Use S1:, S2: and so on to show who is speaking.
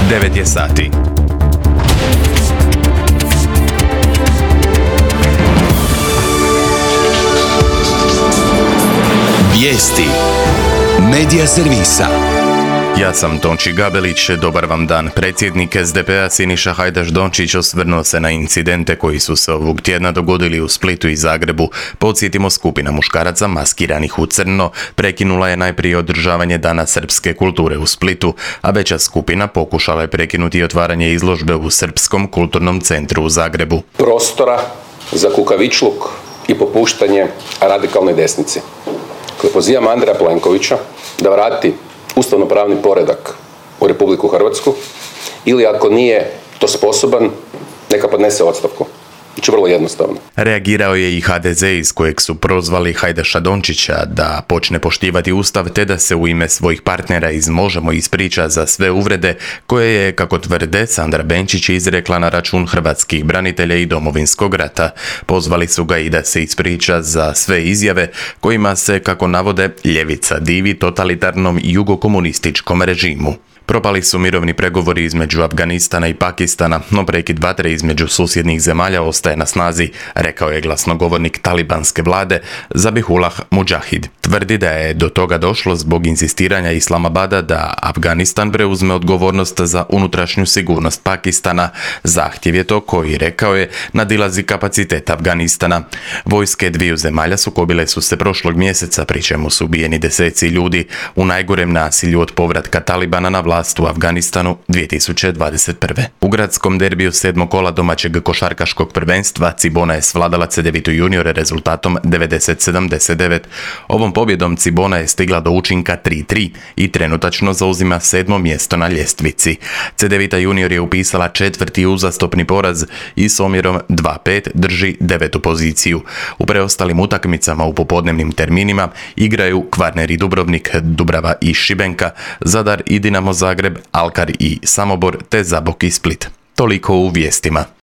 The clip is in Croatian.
S1: 9 je sati. Vijesti Medija servisa. Ja sam Tonči Gabelić, dobar vam dan. Predsjednik SDP-a Siniša Hajdaš-Dončić osvrnuo se na incidente koji su se ovog tjedna dogodili u Splitu i Zagrebu. Podsjetimo, skupina muškaraca maskiranih u crno prekinula je najprije održavanje Dana srpske kulture u Splitu, a veća skupina pokušala je prekinuti otvaranje izložbe u Srpskom kulturnom centru u Zagrebu.
S2: Prostora za kukavičluk i popuštanje radikalnoj desnici. Koji pozivam Andreja Plenkovića da vrati ustavno-pravni poredak u Republiku Hrvatsku ili ako nije to sposoban, neka podnese ostavku. Znači vrlo jednostavno.
S1: Reagirao je i HDZ iz kojeg su prozvali Hajdaša-Dončića da počne poštivati Ustav te da se u ime svojih partnera iz Možemo ispriča za sve uvrede koje je, kako tvrde, Sandra Benčić izrekla na račun hrvatskih branitelja i Domovinskog rata. Pozvali su ga i da se ispriča za sve izjave kojima se, kako navode, ljevica divi totalitarnom jugokomunističkom režimu. Propali su mirovni pregovori između Afganistana i Pakistana, no prekid vatre između susjednih zemalja ostaje na snazi, rekao je glasnogovornik talibanske vlade Zabihullah Mudžahid. Tvrdi da je do toga došlo zbog insistiranja Islamabada da Afganistan preuzme odgovornost za unutrašnju sigurnost Pakistana. Zahtjev je to koji, rekao je, nadilazi kapacitet Afganistana. Vojske dviju zemalja sukobile su se prošlog mjeseca, pri čemu su ubijeni deseci ljudi u najgorem nasilju od povratka Talibana na vlast u Afganistanu 2021. U gradskom derbiju 7. kola domaćeg košarkaškog prvenstva Cibona je svladala Cedevitu juniore rezultatom 90-79. Ovom pobjedom Cibona je stigla do učinka 3-3 i trenutačno zauzima 7. mjesto na ljestvici. Cedevita junior je upisala 4. uzastopni poraz i s omjerom 2-5 drži 9. poziciju. U preostalim utakmicama u popodnevnim terminima igraju Kvarner i Dubrovnik, Dubrava i Šibenka, Zadar i Dinamo Zagreb, Alkar i Samobor te Zabok i Split. Toliko u vijestima.